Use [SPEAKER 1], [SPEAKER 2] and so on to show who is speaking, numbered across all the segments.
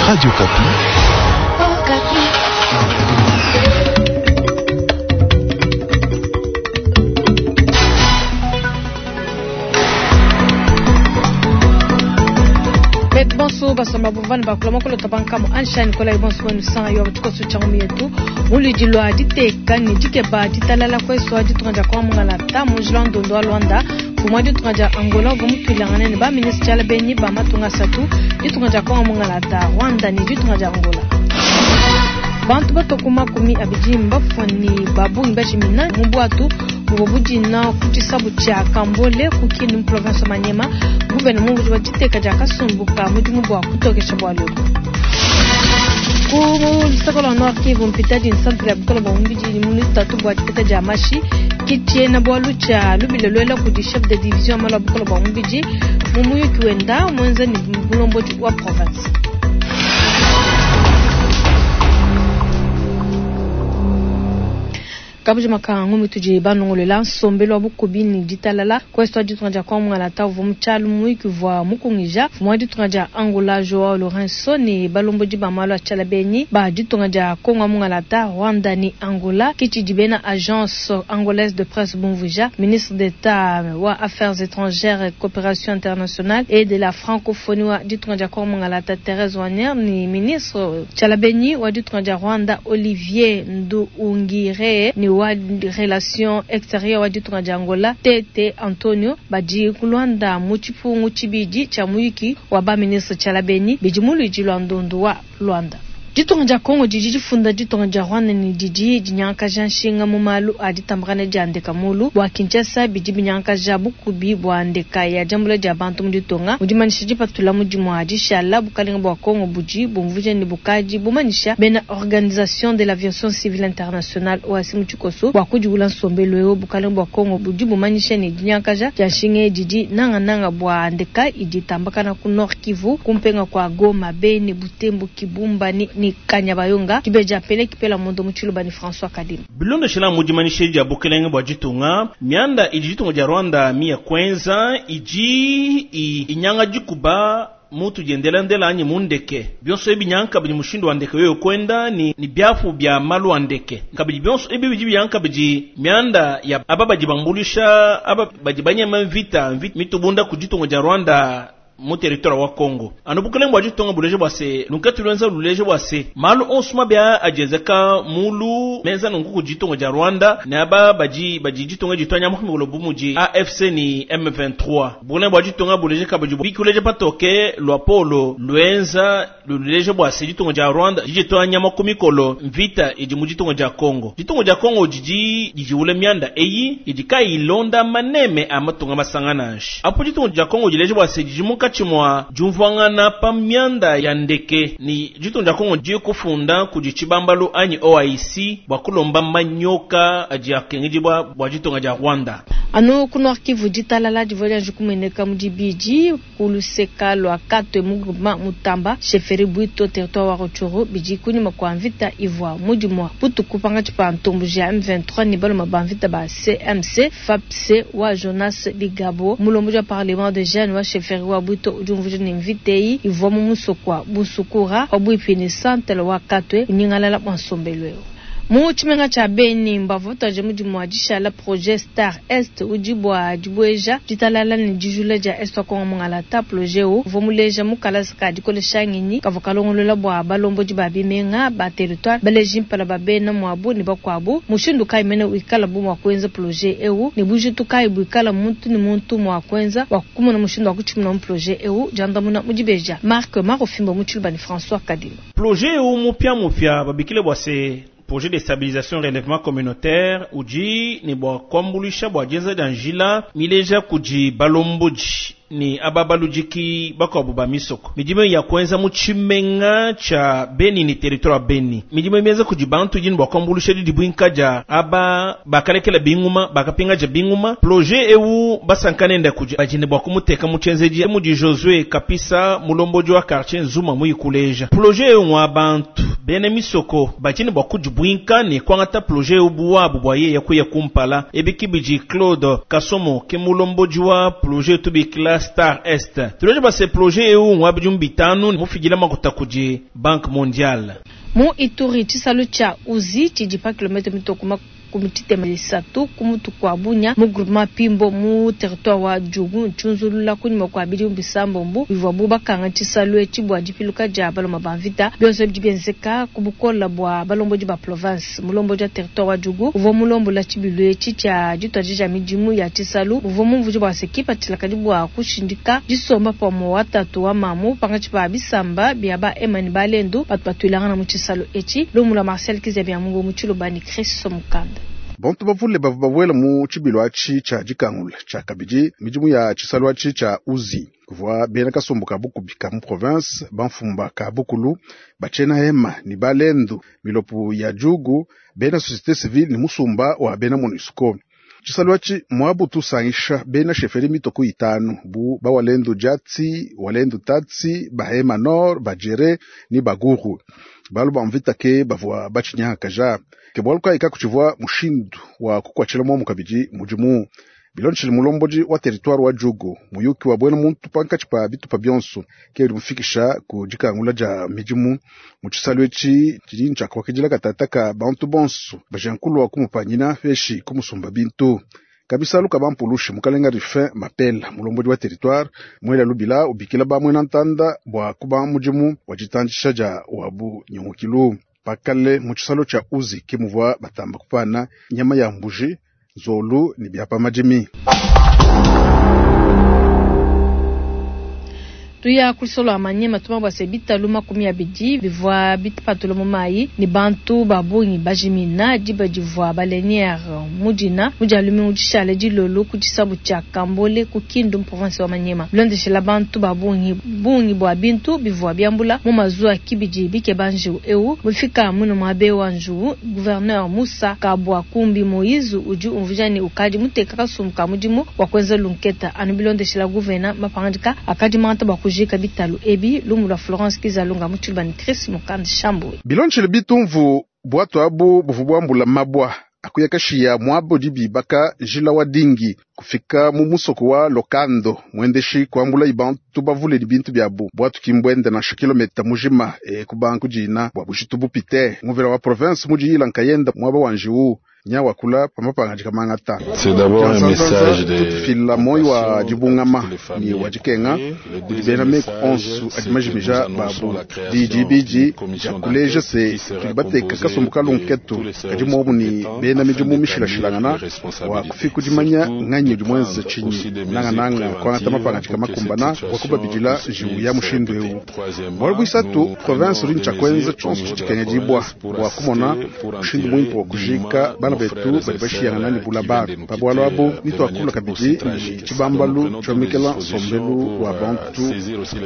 [SPEAKER 1] Radio Okapi.
[SPEAKER 2] Betu bonso basomba buvani bakula mokolo tabankamu ansha Nicolas bonso wenu sanga yo tshikoso tsha yetu muludi lwa diteka ne dikeba ditalala kweswa ditunga dia kwa mungala mu njila ndondo wa Luanda mfumu wa ditunga dia Angola uvua mutuilangane ne ba ministre tshiala benyi ba matunga asatu ditunga dia kwa mungala ta Rwanda ne ditunga dia Angola. Bantu batoko 20 mbafua ne babungi bajimina mu bwatu buvua budina ku tshisabu tshia Kambole ku Kindu mu province wa Maniema. Gouvernement budi wa diteka dia kasumbu ka mudimu bua kutokesha bualu ebu. Ku luseke lua Nord Kivu mpitadi nsantre ya bukole bua mubidi mu lutatu bua dipeta dia mashi ki tshiena bualu tshia lubila luela kudi chef de division malu a bukole bua mubidi mu muyuki wenda muenza ne mulombodi wa province. Kabuji makangu mutudi banongolela nsombelu wa bukubi ne ditalala kwesto ditunga dia kwa mungala uvua mu tshialu muyuki uvua mukungija mfumu wa ditunga dia Angola Joao Lourenço ne balombodi ba malu a tshiala benyi ba ditunga dia Kongo mungala ta Rwanda ne Angola kitshidi bena agence angolaise de presse bumvuija ministre d'État wa affaires étrangères et coopération internationale et de la francophonie wa ditunga dia Kongo mungala ta Thérèse Wagner ne ministre tshiala benyi wa ditunga dia Rwanda Olivier Nduhungirehe ne wa relation extérieure wa ditunga dia Angola Tete Antonio badi ku Luanda mu tshipungu tshibidi tshia muyuki wa ba ministre tshiala benyi bidi mu luidi lua ndundu wa Luanda. Ditunga dia Kongo didi difunda ditunga dia Rwanda ne didi dinyangakaja nshinga mu malu a ditambakana dia ndeka mulu bua Kinshasa bidi binyangakaja bukubi bua ndeka ya diambula dia bantu mu ditunga. Mu dimanyisha dipatula mudimu wa dishala bukalenga bua Kongo budi bumvuija ne bukadi bumanyisha bena Organisation de l'aviation civile internationale OAC mu tshikoso bua kudiwula nsombelu eu. Bukalenga bua Kongo budi bumanyisha ne dinyangakaja dia nshinga didi nangananga bua ndeka idi itambakana ku Nord Kivu kumpenga kwa Goma, Beni, Butembo, Kibumba ni Kanyabayonga kibeja pele kipela mondo mu tshiluba ni François Kadima.
[SPEAKER 3] Bilondeshela mu dimanyisha dia bukelenge bua ditunga mianda idi ditunga dia Rwanda miya kwenza idi inyanga dikuba mutu diendelandela anyi mundeke bionso ebi nyanga kabidi mushindu wa ndeke yoyo kwenda ni biafu bia malu a ndeke kabidi bionso ebi bidi byanga kabidi mianda ya aba badi bambulisha aba badi banyema mvita mvita mitubunda ku ditunga dia Rwanda mu territoire wa Congo. Anu bukelenge bua ditunga buleje bua se lunkatu lwenza luleje bua se malu onso mabia ajezeka mulu menza nunku ku ditunga dia Rwanda ne aba badi badi ditunga ditwanya muhimikolo bu mudi AFC ni M23. Bukelenge bua ditunga buleje kabidi bikuleje patoke lwa polo lwenza luleje bua se ditunga dia Rwanda ditwanya makumikolo mvita idi mu ditunga dia Congo. Ditunga dia Congo didi dijiwule mianda eyi idi kayilonda maneme a matunga masangananshi. Apo ditunga dia Congo dileje bua se didi munkatshi mwa diumvuangana pa mianda ya ndeke ni ditunga dia Congo di kufunda kudi tshibambalu anyi OIC bua kulomba manyoka adi akengedibua bua ditunga dia Rwanda.
[SPEAKER 2] Anu ku Nord Kivu ditalala divua dianji kumueneka mu dibidi ku luseka lua Katwe mu groupement Mutamba chefferie Bwito territoire wa Rutshuru bidi kunyima kua mvita ivua mudimu wa butuku pangatshi pa ntomboji ya M23 ne baluma ba mvita ba CMC FAPC wa Jonas Bigabo mulombodi wa parlement de jeunes wa chefferie wa Bwito udi umvuija ne mvita eyi ivua mu musoko wa Busukura pabuipi ne centre wa Katwe kunyingalala bua nsombelu eu. Mu tshimenga tshia Beni mbavua batuadije mudimu wa dishala projet Star Est udi bua dibueja ditalala ne dijula dia Est wa Kongo Mungalata. Projet eu uvua muleja mu kalasa ka dikolesha ngenyi kavua kalongolola bua balombodi ba bimenga ba territoire baleji mpala ba bena muabu ne bakuabu. Mushindu kayi mene wikala bu mua kuenza projet eu ne bujitu kayi buikala muntu ne muntu mua kuenza bua kumona mushindu wa kutshimuna mu projet eu diandamuna mu dibeja Marc Marofimbo mu tshiluba ne François Kadima.
[SPEAKER 3] Projet eu mupia mupia babikile bua se projet de stabilisation relèvement communautaire udi ne bua kuambuluisha bua dienza dia njila mileja kudi balombodi ni aba baludiki bakuabu ba misoko. Midimu ya kuenza mu tshimenga tshia Beni ni territoire ya Beni. Midimu mienza kudi bantu idi ne bua kuambuluisha didibuinka dia aba bakalekela binguma, bakapingaja binguma. Projet eu basankanenda kudi badi ne bua kumuteka mu tshienzedi mudi Josué Kapisa mulombodi wa quartier Nzuma muyikuleja. Projet eu ngwa bantu. Bena misoko badi ne bua kudibuinka ne kuangata projet eu bu wabu bua yeye kuya kumpala. Ebi kibidi Claude Kasomo ke mulombodi wa projet tubikila Star Est. Tuleje base projet eu ngwa bidimu bitanu mufidila makuta kudi Banque Mondiale.
[SPEAKER 2] Mu Ituri tshisalu tshia Uzi tshidi pa kilomètre mitue ku makumi tshitema ne isatu ku mutu kua Bunia mu groupement Pimbo mu territoire wa Djugu ntshiunzulula kunyima kua bidimu bisambombo bivuabu bakanga tshisalu etshi bua dipiluka dia baluma ba mvita. Bionso ebi bidi bienzeka ku bukola bua balombodi ba province. Mulombodi wa territoire wa Djugu uvua mulombola tshibilu etshi tshia dituadija midimu ya tshisalu uvua mumvuije bua se kipatshila kadi bua kushindika disomba pamue wa tatu wa mamu pankatshi pa bisamba bia ba Hema ne ba Lendu batu batuilangana mu tshisalu etshi. Lumu lua Marcel Kizia Biamungu mu Tshiluba ne Chris Mukanda.
[SPEAKER 1] Bantu bavule bavua babuela mu tshibilu atshi tshia dikangula tshia kabidi midimu ya tshisalu atshi tshia Uzi. Kuvua bena kasumbu ka bukubi ka mu province, bamfumu ka bukulu, batshiena Hema ne balendu, milopo ya Djugu, bena société civile ne musumba wa bena MONUSCO. Tshisalu atshi muabu tusangisha bena chefferie mitoko itanu bu bawalendu Djatsi, Walendu Tatsi, Bahema Nord, Bajere ne Baguru. Balu ba mvita ke bavua batshinyangakaja. Ke bualu kayi kakutshivua mushindu wa kukuatshila muomu kabidi mudimu. Bilondeshile mulombodi wa territoire wa Djugu, muyuki wa buena muntu pankatshi pa bitupa bionso ke udi mufikisha ku dikangula dia midimu mu tshisalu etshi tshidi ntshiakuakidila katata ka bantu bonso bajankulua kumupanyina peshi kumusumba bintu. Kabisalu ka bampulushi mukalenga Rufin Mapela mulombodi wa territoire mwela lubila ubikila bamwena ntanda bua kuba mudimu wa ditandisha dia wabu nyungukilu. Pakale mu tshisalu tshia Uzi ke muvua batamba kupana nyama ya mbuji, nzolu ne bia pa madimi.
[SPEAKER 2] Tuya kusolo Maniema tuma bua se bitalu makumi abidi bivua bipatula mu mayi ne bantu ba bungi bajimina diba divua baleniere mudina mudia lumingu dishale dilolo ku tshisabu tshia Kambole ku Kindu mu province wa Maniema. Bilondeshela bantu ba bungi bungi bua bintu bivua biambula mu mazuwa kibidi bikeba njiwu eu mufika muno muabe wa njiwu. Gouverneur Moussa Kabwa Kumbi Moïse udi umvuija ne ukadi muteka kasumbu ka mudimu wa kuenza lunketa anu bilondeshela gouverneur mapangadika akadi manta bua kujika bitalu ebi. Lumu lua Florence Kizalunga mu Tshiluba ne Chris Mukandi Shambwe.
[SPEAKER 1] Bilondeshele bitumvu bwatu abu buvu bwambula mabwa akuyakashiya mwabo dibibaka njila wa dingi kufika mu musoko wa Lokando mwendeshi kuambula ibantu bavule bintu byabu bwatu kimbwende na kilomita mujima e kubanku dina bwa bushitu bupite nguvela wa province mujiyila nkayenda mwaba wa njiwu nyawakula pamapanga kamangata.
[SPEAKER 4] C'est d'abord un message de
[SPEAKER 1] tutufila moyo wa dibungama ni wa dikenga kudi bena meku onsu adi majimija babu didi bidi diakuleja se tudi bateka kasumbu kalunketu kadi muomu ni bena midimu mishilashilangana wa kufika dimanya nganyi udi muenze tshinyi nangananga kuangata mapanga dikamakumbana wa kubabidila njiwu ya mushindu eu. Bualu buisatu province udi ntshia tshionso tshidikenge dibwa bua kumona mushindu muimpe wa kujika bana betu badi bashiyangana ne bulaba pa bualu abu nituakula kabidi ni tshibambalu tshiomekela nsombelu wa bantu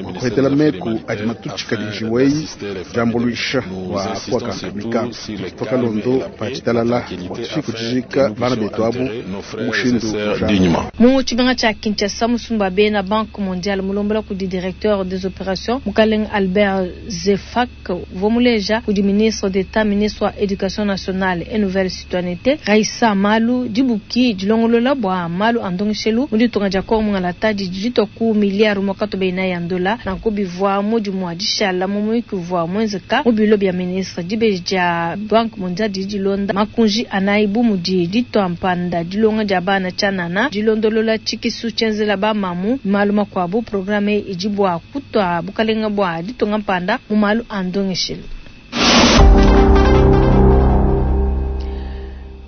[SPEAKER 1] wa kuhetela meku adi matutshikadi njiweyi diambuluisha wa kuakankamika tukalondo pa tshitalala bua tufike kujika bana betu abu mushindu.
[SPEAKER 2] Mu tshibanga tshia Kinshasa musumba bena Banque Mondiale mulombola kudi directeur des opérations mukalenge Albert Zefak uvua muleja kudi ministre d'État ministre wa éducation nationale et nouvelle citoyenneté Raissa Malu dibuki dilongolola bua malu a ndongeshelu mu ditunga dia Kongo mungalata didi ditua ku milliard mwakatu beina ya ndola nanku bivua mudimu wa dishala mu muyuki uvua muenzeka mu bilo bia ministre. Dibeji dia Banque Mondiale didi dilonda makunji anayi bu mudi ditua mpanda dilonga dia bana tshianana dilondolola tshikisu tshienzela bamamu malu makuabu. Programme idi bua kutua bukalenga bua ditunga mpanda mu malu a ndongeshelu.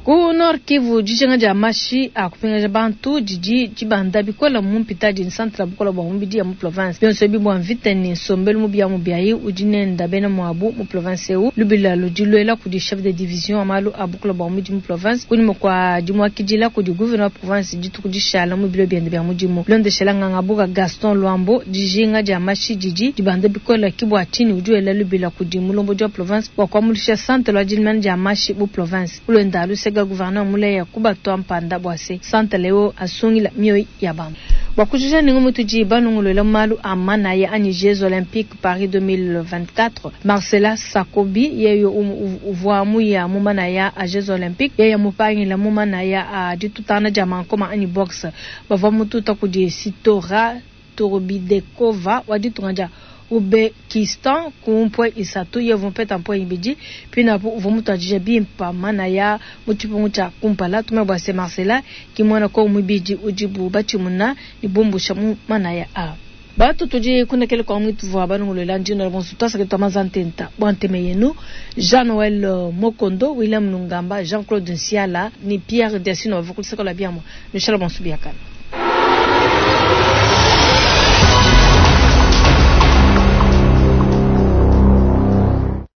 [SPEAKER 2] Ku Nord Kivu dijinga dia mashi a kupingaja bantu didi dibanda bikola mu mpitadi centre bukola bua mubidi ya mu province. Bionso ebi bua mvita ne nsombelu mubi ya mubiayi udi nenda bena muabu mu province eu. Lubila ludi luela kudi chef de division wa malu a bukola bua mubidi mu province kunyima kua dimuakidila kudi gouverneur wa province dituku dishala mu bilo biende bia mudimu. Bilondeshela ngangabuka Gaston Luambo dijinga dia mashi didi dibanda bikola kibua tshini udi wela lubila kudi mulombodi wa province bua kuamulisha centre lwa dilimana dia mashi mu province. Ulwenda lusega gouverneur muleya kubatwa mpanda bwase centre leo asungila mioyo ya bantu. Bua kujija ne ngumu tudi balongoluela malu a manaya anyi Jeux Olympiques Paris 2024, Marcela Sakobi yeye uvua muya mu manaya a Jeux Olympiques, yeye mupangila mu manaya a ditutangana dia mankoma anyi boxe, bavua mututa kudi Sitora Turbidekova wa ditunga dia Ouzbekistan ku mpwe isatu, yeye uvua mupeta mpwe ibidi. Pinapu uvua mutuadije bimpe manaya mu tshipungu tshia kumpala. Tumanye bua se Marcela ki muena Kongo muibidi udibu batshimuna ne bumbusha mu manaya a. Batu tudi kunekele kwa mwitu vua balongoluela ndino la bonso twasake twa mazantenta bua nteme yenu Jean Noël Mokondo, William Nungamba, Jean-Claude Nsiala ni Pierre Diasino bavua kuluseka lua biamua. Nushale bonso biakana.